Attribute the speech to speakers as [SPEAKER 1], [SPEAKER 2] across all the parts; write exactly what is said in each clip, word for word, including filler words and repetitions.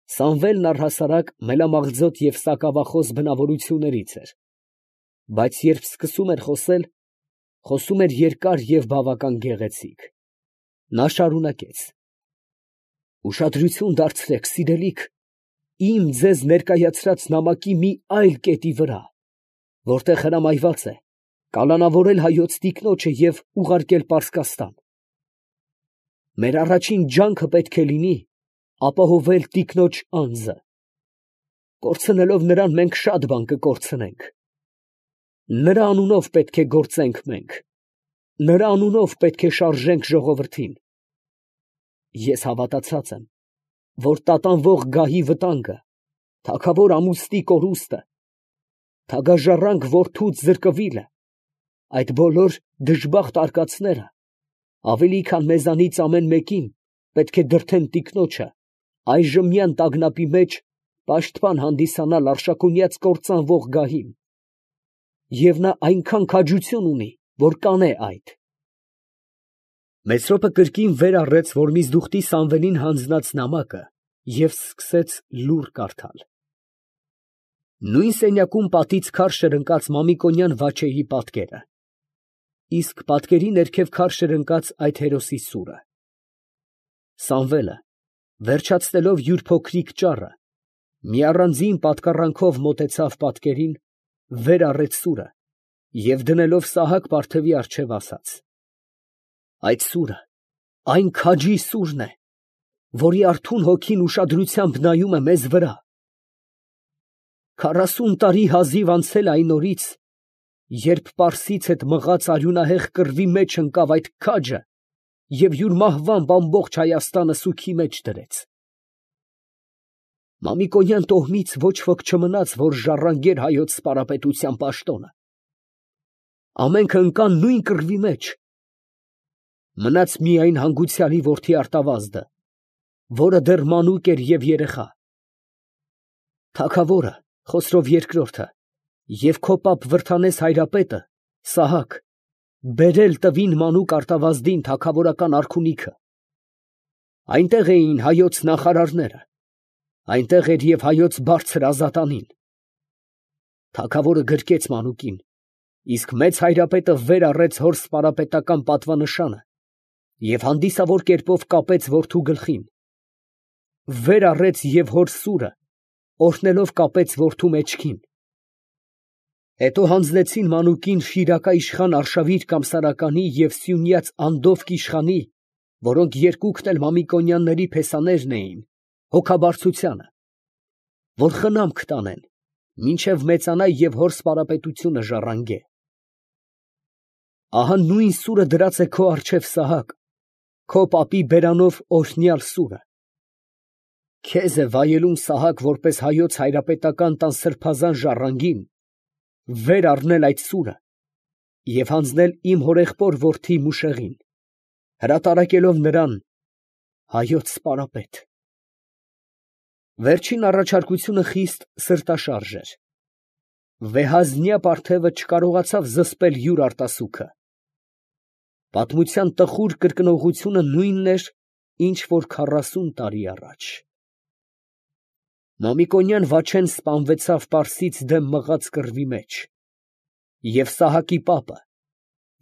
[SPEAKER 1] Սամվելն առհասարակ մելամաղձոտ և սակավախոս բնավորություններից էր, բայց երբ սկսում էր խոսել, խոսում էր երկար և բավական գեղեցիկ. նա շարունակեց. «Ուշադրություն դարձրեք, սիրելիք, իմ ձեզ ներկայացրած նամակի մի այլ կետի վրա, որտեղ հրամայված է կալանավորել հայոց տիկնոջը և ուղարկել Պարսկաստան. մեր առաջին ջանքը պետք է լինի ապահովել տիկնոջ անձը. կորցնելով նրան, մենք շատ բան կկորցնենք. նրա անունով պետք է գործենք մենք, նրա անունով պետք է շարժենք ժողովրդին. ես հավատացած եմ, որ տատանվող գահի վտանգը, թագավոր ամուստի կորուստը, թագաժառանգ որդուց զրկվիլը, այդ բոլոր դժբախտ արկածները ավելի քան մեզանից ամեն մեկին պետք է դրդեն տիկնոջը այժմյան տագնապի մեջ պաշտպան հանդիսանալ արշակունյաց կործանվող գահին, և նա այնքան քաջություն ունի, որ կանե այդ»։ Մեսրոպը կրկին վեր առեց, որ միզդուխտի Սամվելին հանձնած նամակը և սկսեց լուռ կարդալ. Նույն սենյակում պատից քարշ էր ընկած Մամիկոնյան Վաչեի պատկերը, իսկ պատկերի ներքև քարշ էր ընկած այդ հերոսի սուրը։ Սամվելը, վերջացնելով յուր փոքրիկ ճառը, մի առանձին պատկառանքով մոտեցավ պատկերին, վեր առեց սուրը և դնելով Սահակ պարթևի առջև ասաց. «Այդ սուրը այն քաջի սուրն է, որի արթուն հոգին ուշադրությամբ նայում է մեզ վրա։ Քառասուն տարի հազիվ անցել է այն օրից, երբ Պարսից հետ մղած արյունահեղ կռվի մեջ ընկավ այդ քաջը և յուր մահվամբ ամբողջ Հայաստանը սուգի մեջ դրեց։ Մամիկոնյան տոհմից ոչ ոք չմնաց, որ ժառանգեր հայոց սպարապետության պաշտոնը. ամենքը ընկան նույն կռվի մեջ. մնաց միայն հանգուցյալի որդի Արտավազդը, որը դեռ մանուկ էր և երեխա։ Թագավորը, Խոսրով երկրորդը, և քո պապ Վրդանես հայրապետը, Սահակ, բերել տվին մանուկ Արտավազդին թագավորական արքունիքը։ Այնտեղ էին հայոց նախարարները, այնտեղ էր և հայոց բարձր ազատանին։ Թագավորը գրկեց մանուկին, իսկ մեծ հայրապետը վեր առեց հոր սպարապետական պատվանշանը և հանդիսավոր կերպով կապեց որդու գլխին, վեր առեց և հոր սուրը, օրհնելով կապեց որդու մեջքին։ Հետո հանձնեցին մանուկին Շիրակա իշխան Արշավիր Կամսարականի և Սյունյաց Անդովկ իշխանի, որոնք երկուքն էլ Մամիկոնյանների փեսաներն էին, հոգաբարձությանը, որ խնամք տանեն, մինչև մեծանա և հոր սպարապետությունը ժառանգե։ Ահա նույն սուրը դրած է քո առջև, Սահակ, քո պապի բերանով օրհնյալ սուրը։ Քեզ է վայելում, Սահակ, որպես հայոց հայրապետական տան սրբազան ժառանգին, վեր առնել այդ սուրը և հանձնել իմ հորեղբոր որդի Մուշեղին, հրատարակելով նրան հայոց սպարապետ։ Վերջին առաջարկությունը խիստ սրտաշարժ էր։ Վեհազնյա պարթևը չկարողացավ զսպել յուր արտասուքը։ Պատմության տխուր կրկնողությունը նույնն էր, ինչ որ քառասուն տարի առաջ։ Մամիկոնյան Վաչեն սպանվեցավ Պարսից դեմ մղած կռվի մեջ, և Սահակի պապը,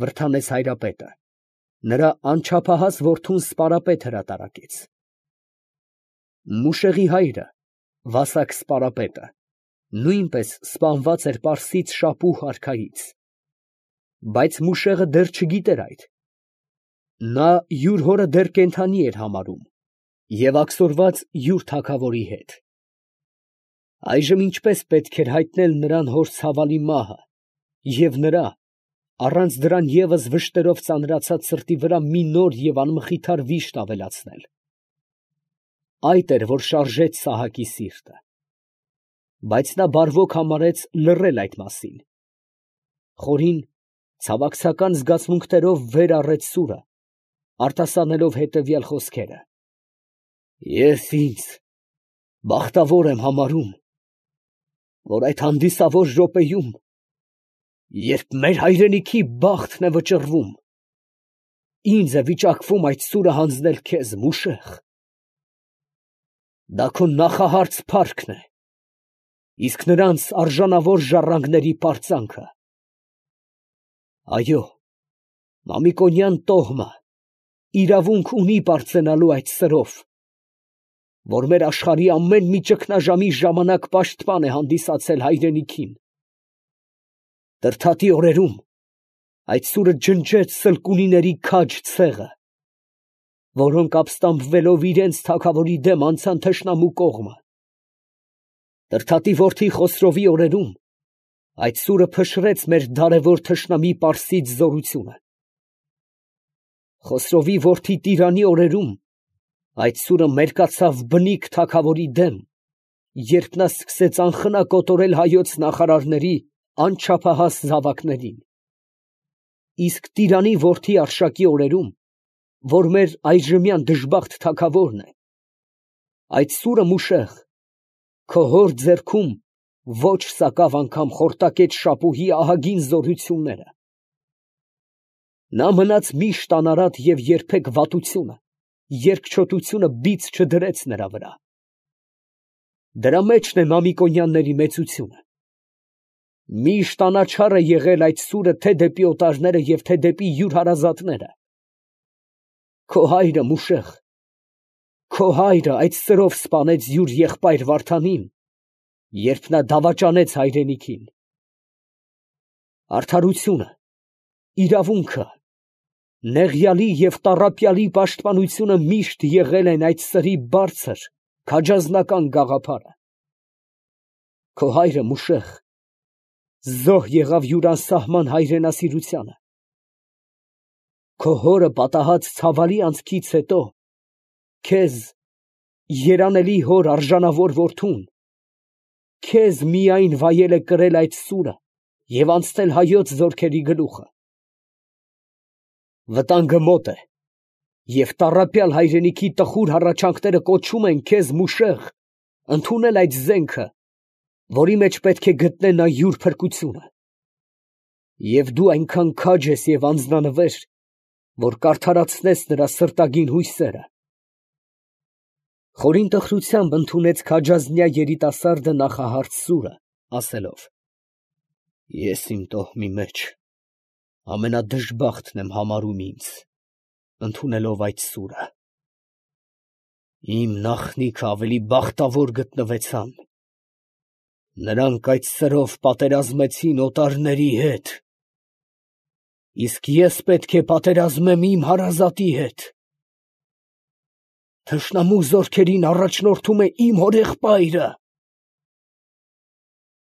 [SPEAKER 1] Վրդանես հայրապետը, նրա անչափահաս որդուն սպարապետ հրատարակեց։ Մուշեղի հայրը, Վասակ սպարապետը, նույնպես սպանված էր Պարսից Շապուհ արքայից, բայց Մուշեղը դեռ չգիտեր այդ. նա յուր հորը դեռ կենդանի էր համարում և աքսորված յուր թագավորի հետ։ Այժմ ինչպես պետք էր հայտնել նրան հոր ցավալի մահը և նրա, առանց դրան ևս վշտերով ծանրացած սրտի վրա մի նոր և անմխիթար վիշտ ավելացնել։ Այդ էր, որ շարժեց Սահակի սիրտը։ Բայց նա բարվոք համարեց լռել այդ մասին։ Խորին, ցավակցական զգացմունքներով վեր առեց սուրը, արտասանելով հետևյալ խոսքերը. «Ես ինձ բախտավոր եմ համարում, որ այդ հանդիսավոր րոպեում, երբ մեր հայրենիքի բախտն է վճռվում, ինձ է վիճակվում այդ սուրը հանձնել քեզ, Մուշեղ։ Դա քո նախահարց փառքն է, իսկ նրանց արժանավոր ժառանգների պարծանքը։ Այո, Մամիկոնյան տոհմը իրավունք ունի պարծենալու այդ սրով, որ մեր աշխարհի ամեն մի ճգնաժամի ժամանակ պաշտպան է հանդիսացել հայրենիքին։ Տրդատի օրերում այդ սուրը ջնջեց սլկունիների քաջ ցեղը, որոնք ապստամբվելով իրենց թագավորի դեմ անցան թշնամու կողմը։ Տրդատի որդի Խոսրովի օրերում այդ սուրը փշրեց մեր դարևոր թշնամի Պարսից զորությունը։ Խոսրովի որդի Տիրանի օրերում այդ սուրը մերկացավ բնիկ թագավորի դեմ, երբ նա սկսեց անխնա կոտորել հայոց նախարարների անչափահաս զավակներին։ Իսկ Տիրանի որդի Արշակի օրերում, որ մեր այժմյան դժբախտ թագավորն է, այդ սուրը Մուշեղ քո հոր ձեռքում ոչ սակավ անգամ խորտակեց շապուհի ահագին զորությունները։ Նա մնաց միշտ անարատ և երբեք վատությունը, երկչոտությունը բիծ չդրեց նրա վրա։ Դրա մեջն է Մամիկոնյանների մեծությունը։ Միշտ անաչառ է եղել այդ սուրը թե դեպի օտարները և թե դեպի յուր հարազատները։ Քո հայրը Մուշեղ, քո հայրը այդ սրով սպանեց յուր եղբայր Վարդանին, երբ նա դավաճանեց հայրենիքին։ Արդարությունը, իրավունքը, նեղյալի և տառապյալի պաշտպանությունը միշտ եղել են այդ սրի բարձր, քաջազնական գաղափարը։ Քո հայրը Մուշեղ զոհ եղավ յուր անսահման հայրենասիրությանը։ Քո հորը պատահած ցավալի անցքից հետո քեզ, երանելի հոր արժանավոր որդուն, քեզ միայն վայել է կրել այդ սուրը և անցնել հայոց զորքերի գլուխը։ Վտանգը մոտ է, և տառապյալ հայրենիքի տխուր հառաչանքները կոչում են քեզ, Մուշեղ, ընդունել այդ զենքը, որի մեջ պետք է գտնե նա յուր փրկությունը։ Եվ դու այնքան քաջ ես և անձնանվեր, որ կարդարացնես նրա սրտագին հույսերը։ Խորին տխրությամբ ընդունեց քաջազնյա երիտասարդը նախահարց սուրը, ասելով. Ես իմ տոհմի մեջ ամենադժբախտն եմ համարում ինձ, ընդունելով այդ սուրը։ Իմ նախնիքը ավելի բախտավոր գտնվեցան. նրանք այդ սրով պատերազմեցին օտարների հետ, իսկ ես պետք է պատերազմեմ իմ հարազատի հետ։ Թշնամու զորքերին առաջնորդում է իմ հորեղբայրը։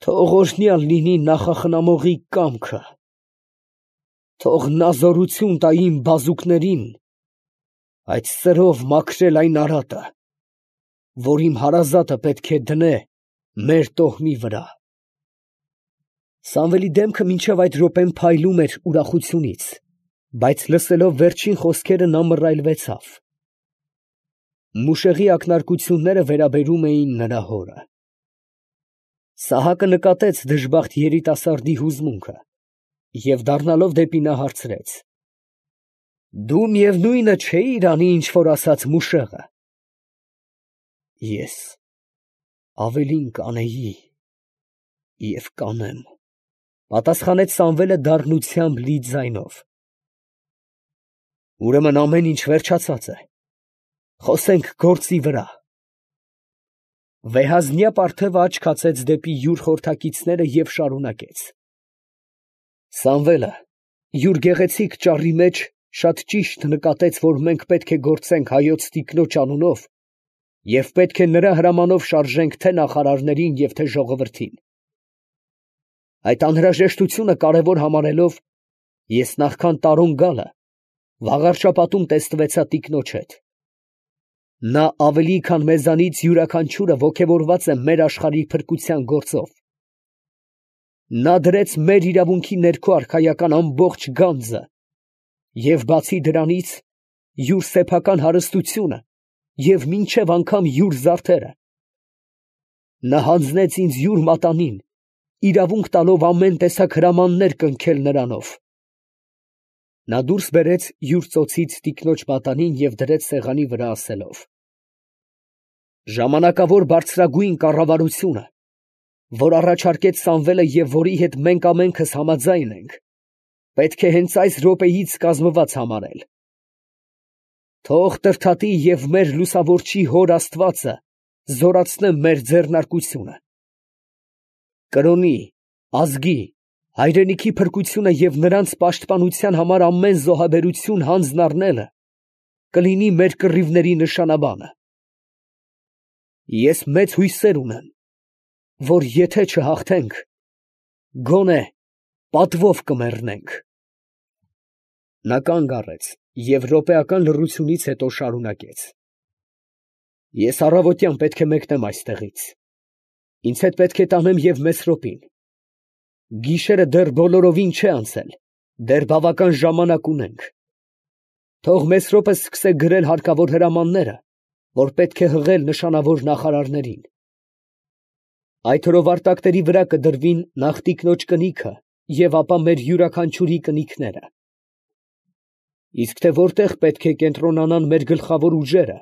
[SPEAKER 1] Թող օրհնյալ լինի նախախնամողի կամքը, թող նա զորություն տա իմ բազուկներին այդ սրով մաքրել այն արատը, որ իմ հարազատը պետք է դնե մեր տոհմի վրա։ Սամվելի դեմքը մինչև այդ րոպեն փայլում էր ուրախությունից, բայց լսելով վերջին խոսքերը նա մռայլվեցավ։ Մուշեղի ակնարկությունները վերաբերում էին նրա հորը։ Սահակը նկատեց դժբախտ երիտասարդի հուզմունքը և դառնալով դեպի նա հարցրեց. Դու միևնույնը չէի՞ր անի, ինչ որ ասաց Մուշեղը։ Ես ավելին կանեի և կանեմ, պատասխանեց Սամվելը դառնությամբ լի ձայնով։ Ուրեմն ամեն ինչ վերջացած է, խոսենք գործի վրա։ Վեհազնյա պարթևը աչք հացեց դեպի յուր խորհրդակիցները և շարունակեց. Սամվելը յուր գեղեցիկ ճառի մեջ շատ ճիշտ նկատեց, որ մենք պետք է գործենք հայոց տիկնոջ անունով և պետք է նրա հրամանով շարժենք թե նախարարներին և թե ժողովրդին։ Այդ անհրաժեշտությունը կարևոր համարելով, ես նախքան Տարոն գալը Վաղարշապատում տեսնվեցա տիկնոջ հետ։ Նա ավելի քան մեզանից յուրաքանչյուրը ոգևորված է մեր աշխարհի փրկության գործով։ Նա դրեց մեր իրավունքի ներքո արքայական ամբողջ գանձը և բացի դրանից յուր սեփական հարստությունը և մինչև անգամ յուր զարդերը։ Նա հանձնեց ինձ յուր մատանին, իրավունք տալով ամեն տեսակ հրամաններ կնքել նրանով։ Նա դուրս բերեց յուր ծոցից տիկնոջ մատանին և դրեց սեղանի վրա, ասելով. Ժամանակավոր բարձրագույն կառավարությունը, որ առաջարկեց Սամվելը և որի հետ մենք ամենքս համաձայն ենք, պետք է հենց այս րոպեից կազմված համարել։ Թող Տրդատի և մեր լուսավորչի հոր Աստվածը զորացնե մեր ձեռնարկությունը։ Կրոնի, ազգի, հայրենիքի փրկությունը և նրանց պաշտպանության համար ամեն զոհաբերություն հանձն առնելը կլինի մեր կռիվների նշանաբանը։ Ես մեծ հույսեր ունեմ, որ եթե չհաղթենք, գոնե պատվով կմեռնենք։ Նա կանգ առեց և րոպեական լռությունից հետո շարունակեց. Ես առավոտյան պետք է մեկնեմ այստեղից. ինձ հետ պետք է տանեմ և Մեսրոպին. գիշերը դեռ բոլորովին չէ անցել, դեռ բավական ժամանակ ունենք. թող Մեսրոպը սկսե գրել հարկավոր հրամանները, որ պետք է հղել նշանավոր նախարարներին. այդ հրովարտակների վրա կդրվին նախ տիկնոջ կնիքը և ապա մեր յուրաքանչյուրի կնիքները։ Իսկ թե որտեղ պետք է կենտրոնանան մեր գլխավոր ուժերը,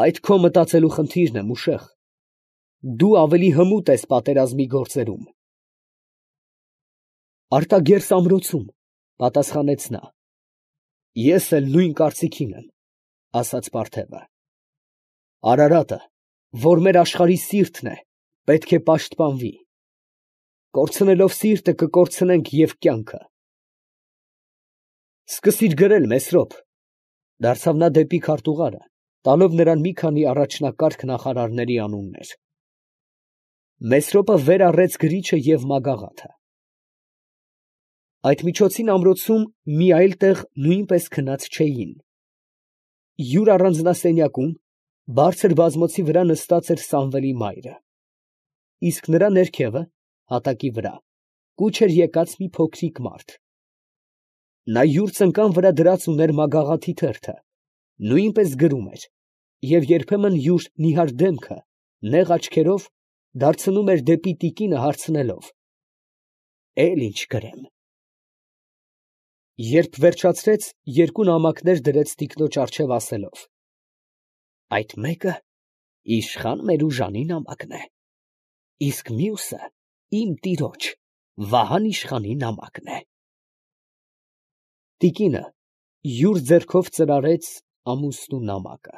[SPEAKER 1] այդ քո մտածելու խնդիրն է, Մուշեղ, դու ավելի հմուտ ես պատերազմի գործերում։ Արտագերս ամրոցում, պատասխանեց նա։ Ես էլ նույն կարծիքին եմ, ասաց Պարթևը։ Արարատը, որ մեր աշխարհի սիրտն է, պետք է պաշտպանվի։ Կորցնելով սիրտը կկորցնենք և կյանքը։ Սկսիր գրել, Մեսրոպ, դարձավ նա դեպի քարտուղարը, տալով նրան մի քանի առաջնակարգ նախարարների անուններ։ Մեսրոպը վեր առեց գրիչը և մագաղաթը։ Այդ միջոցին ամրոցում մի այլ տեղ նույնպես քնած չէին։ Յուր առանձնասենյակում, բարձր բազմոցի վրա նստած էր Սամվելի մայրը, իսկ նրա ներքևը, հատակի վրա, կուչ էր եկած մի փոքրիկ մարդ։ Նա յուր ծնկան վրա դրած ուներ մագաղաթի թերթը, նույնպես գրում էր, և երբեմն յուր նիհար դեմքը, նեղ աչքերով, դարձնում էր դեպի տիկինը հարցնելով. «Էլ ի՞նչ գրեմ»։ Երբ վերջացրեց, երկու նամակներ դրեց տիկնոջ առջև, ասելով. «Այդ մեկը իշխան Մերուժանի նամակն է, իսկ մյուսը իմ տիրոջ Վահան իշխանի նամակն է»։ Տիկինը յուր ձեռքով ծրարեց ամուսնու նամակը։